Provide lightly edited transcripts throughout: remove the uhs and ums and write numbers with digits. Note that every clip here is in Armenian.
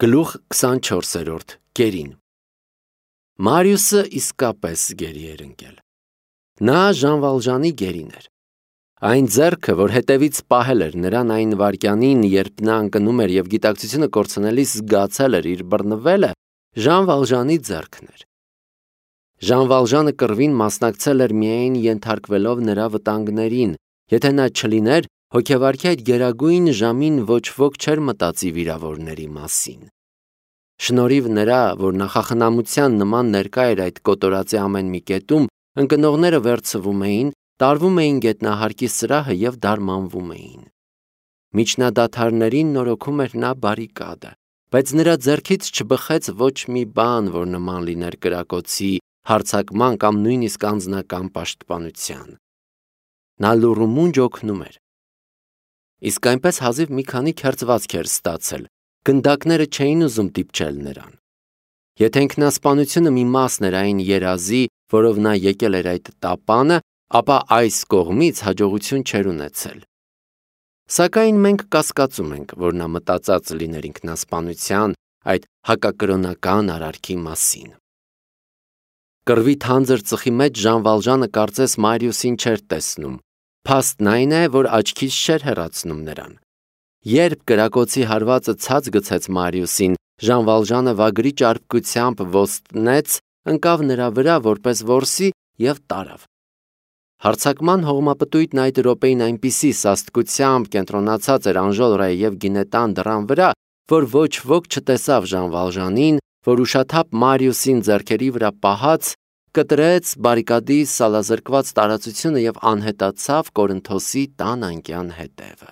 Գլուխ 24-րդ գերին Մարիուսը իսկապես գերի էր ընկել։ Նա Ժան Վալժանի գերին էր։ Այն ձեռքը, որ հետևից պահել էր նրան այն վայրկյանին, երբ նա ընկնում էր և գիտակցությունը կորցնելիս զգացել էր իր բռնվելը, Ժան Վալժանի ձեռքն էր։ Ժան Վալժանը կռվին մասնակցել էր միայն ենթարկվելով նրա վտանգներին, եթե նա չլիներ, հոգեվարքի այդ գերագույն ժամին ոչ ոք չէր մտածի վիրավորների մասին։ Շնորհիվ նրա, որ նախախնամության նման ներկա էր այդ կոտորածի ամեն մի կետում, ընկնողները վերցվում էին, տարվում էին գետնահարկի սրահը և դարմանվում էին։ Միջնադադարներին նորոգում էր նա բարիկադը, բայց նրա ձեռքից չբխեց ոչ մի բան, որ նման լիներ կրակոցի, հարձակման կամ նույնիսկ անձնական պաշտպանության։ Նա լուռումունջ օգնում էր։ Իսկ այնպես հազիվ մի քանի քերծվածք էր ստացել, գնդակները չէին ուզում դիպչել նրան։ Եթե ինքնասպանությունը մի մասն էր այն երազի, որով նա եկել էր այդ տապանը, ապա այս կողմից հաջողություն չէր ունեցել։ Սակայն մենք կասկածում ենք, որ նա մտածած լիներ ինքնասպանության, այդ հակակրոնական արարքի մասին։ Կռվի թանձր ծխի մեջ Ժան Վալժանը կարծես Մարիուսին չէր տեսնում։ Փաստն այն է, որ աչքից չէր հեռացնում նրան։ Երբ կրակոցի հարվածը ցած գցեց Մարիուսին, Ժան Վալժանը վագրի ճարպկությամբ ոստնեց, ընկավ նրա վրա որպես որսի և տարավ։ Հարձակման հողմապտույտն այդ րոպեին այնպիսի սաստկությամբ կենտրոնացած էր Անժոլրայի և Գինետան դռան վրա, որ ոչ ոք չտեսավ Ժան Վալժանին, որ ուշաթափ Մարիուսին ձեռքերի վրա պահած, կտրեց բարիկադի սալազրկված տարածությունը և անհետացավ Կորինթոսի տան անկյան հետևը։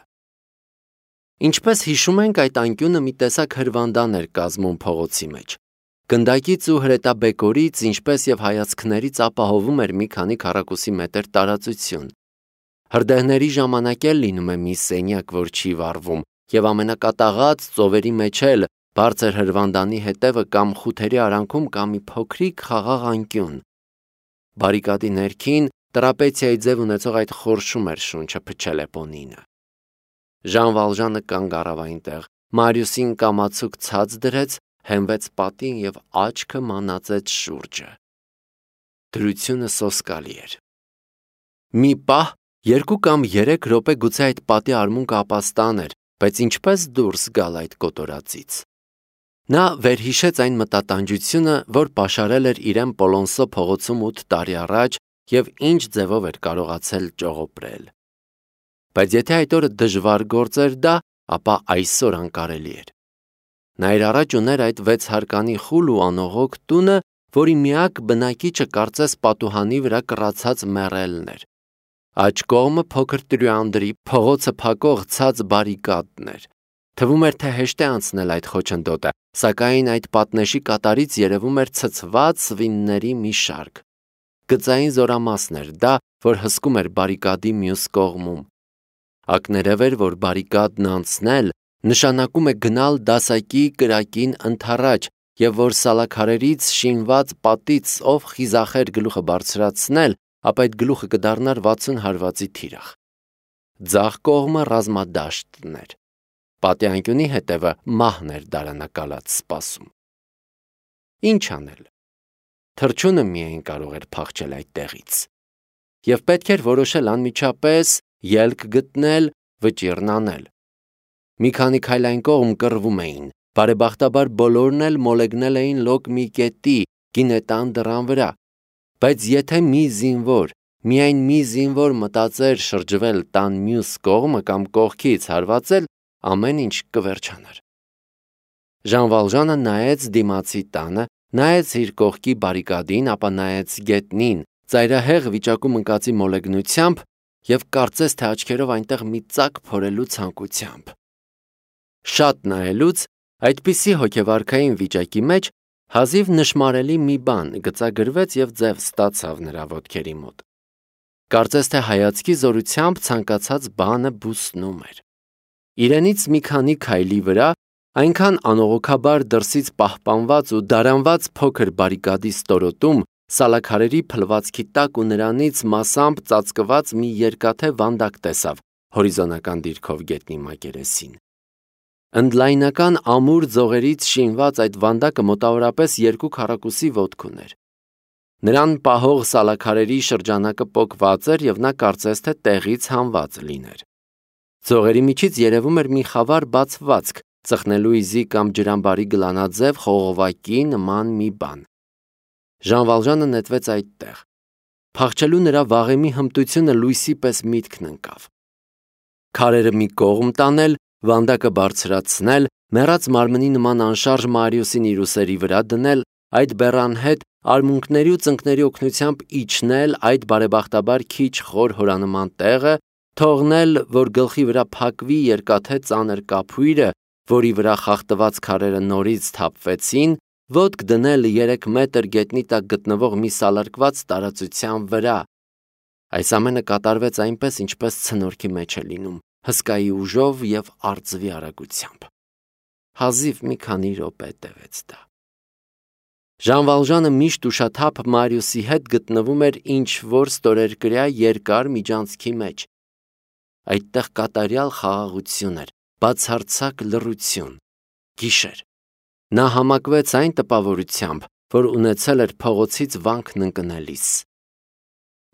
Ինչպես հիշում ենք, այդ անկյունը մի տեսակ հրվանդան էր կազմում փողոցի մեջ։ Գնդակից ու հրետաբեկորից, ինչպես և հայացքներից ապահովում էր մի քանի քառակուսի մետր տարածություն։ Հրդեհների ժամանակ էլ լինում է մի սենյակ, որ չի վառվում, և ամենակատաղած ծովերի մեջ էլ բարձր հրվանդանի հետևը կամ խութերի արանքում կա մի փոքրիկ խաղաղ անկյուն։ Բարիկադի ներքին տրապեցիայի ձև ունեցող այդ խորշում էր շունչը փչել էպոնինը։ Ժան Վալժանը կանգ առավ այնտեղ, Մարիուսին կամացուկ ցած դրեց, հենվեց պատին և աչքը մանածեց շուրջը։ Դրությունը սոսկալի էր։ Մի պահ, 2 կամ 3 րոպե գուցե այդ պատի արմունկը ապաստան էր, բայց ինչպես դուրս գալ այդ կոտորածից։ Նա վերհիշեց այն մտատանջությունը, որ պաշարել էր իրեն Պոլոնսո փողոցում 8 տարի առաջ և ինչ ձևով էր կարողացել ճողոպրել։ Բայց եթե այդ օրը դժվար գործ էր դա, ապա այսօր անկարելի էր։ Նա իր առաջ ուներ այդ 6 հարկանի խուլ ու անողոք տունը, որի միակ բնակիչը կարծես պատուհանի վրա կռացած մեռելն էր։ Աջ կողմը փոքր տրյուանդրի, փողոցը փակող ցած բարիկադն էր։ Թվում էր, թե հեշտ է անցնել այդ խոչընդոտը, սակայն այդ պատնեշի կատարից երևում էր ցցված սվինների մի շարք։ Գծային զորամասն էր դա, որ հսկում էր բարիկադի մյուս կողմում։ Ակներև էր, որ բարիկադն անցնել նշանակում է գնալ դասակի կրակին ընդառաջ և որ սալաքարերից շինված պատից ով խիզախեր գլուխը բարձրացնել, ապա այդ գլուխը կդառնար 60 հարվածի թիրախ։ Ձախ կողմը ռազմադաշտն էր։ Պատի անկյունի հետևը մահն էր դարանակալած սպասում։ Ինչ անել։ Թռչունը միայն կարող էր փախչել այդտեղից։ Եվ պետք էր որոշել անմիջապես ելք գտնել, վճիռն անել։ Մի քանի քայլ այն կողմ կռվում էին, բարեբախտաբար բոլորն էլ մոլեգնել էին լոկ մի կետի, Գինետան դռան վրա։ Բայց եթե մի զինվոր, միայն մի զինվոր մտածեր շրջվել տան մյուս կողմը կամ կողքից հարվածել, ամեն ինչ կվերջանար։ Ժան Վալժանը նայեց դիմացի տանը, նայեց իր կողքի բարիկադին, ապա նայեց գետնին, ծայրահեղ վիճակում ընկածի մոլեգնությամբ և կարծես թե աչքերով այնտեղ մի ծակ փորելու ցանկությամբ։ Շատ նայելուց, այդպիսի հոգեվարքային վիճակի մեջ հազիվ նշմարելի մի բան գծագրվեց և ձև ստացավ նրա ոտքերի մոտ։ Կարծես թե հայացքի զորությամբ ցանկացած բանը բուսնում էր։ Իրենից մի քանի քայլի վրա, այնքան անողոքաբար դրսից պահպանված ու դարանված փոքր բարիկադի ստորոտում, սալաքարերի փլվածքի տակ ու նրանից մասամբ ծածկված մի երկաթե վանդակ տեսավ հորիզոնական դիրքով գետնի մակերեսին։ Ընդլայնական ամուր ձողերից շինված այդ վանդակը մոտավորապես 2 քառակուսի ոտք ուներ։ Նրան պահող սալաքարերի շրջանակը պոկված էր և նա կարծես թե տեղից հանված լիներ։ Ձողերի միջից երևում էր մի խավար բացվածք, ծխնելու իզի կամ ջրամբարի գլանաձև խողովակի նման մի բան։ Ժան Վալժանը նետվեց այդտեղ։ Փախչելու նրա վաղեմի հմտությունը լույսի պես միտքն ընկավ։ Քարերը մի կողմ տանել, վանդակը բարձրացնել, մեռած մարմնի նման անշարժ Մարիուսին իր ուսերի վրա դնել, այդ բեռան հետ արմունկների ու ծնկների օգնությամբ իջնել այդ բարեբախտաբար քիչ խոր հորանման տեղը, թողնել, որ գլխի վրա փակվի երկաթե ծանր կափույրը, որի վրա խախտված քարերը նորից թափվեցին, ոտք դնել 3 մետր գետնի տակ գտնվող մի սալարկված տարածության վրա։ Այս ամենը կատարվեց այնպես, ինչպես ցնորքի մեջ է լինում, հսկայի ուժով և արծվի արագությամբ։ Հազիվ մի քանի րոպե տևեց դա։ Ժան Վալժանը միշտ ուշաթափ Մարիուսի հետ գտնվում էր ինչ-որ ստորերկրյա երկար միջանցքի մեջ։ Այդտեղ կատարյալ խաղաղություն էր, բացարձակ լռություն, գիշեր։ Նա համակվեց այն տպավորությամբ, որ ունեցել էր փողոցից վանքն ընկնելիս։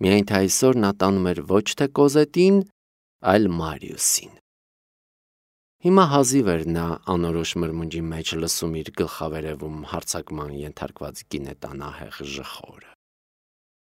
Միայն թե այսօր նա տանում էր ոչ թե Կոզետին, այլ Մարիուսին։ Հիմա հազիվ էր նա անորոշ մրմունջի մեջ լսում իր գլխավերևում հարձակման ենթարկված գինետանահեղ ժխորը։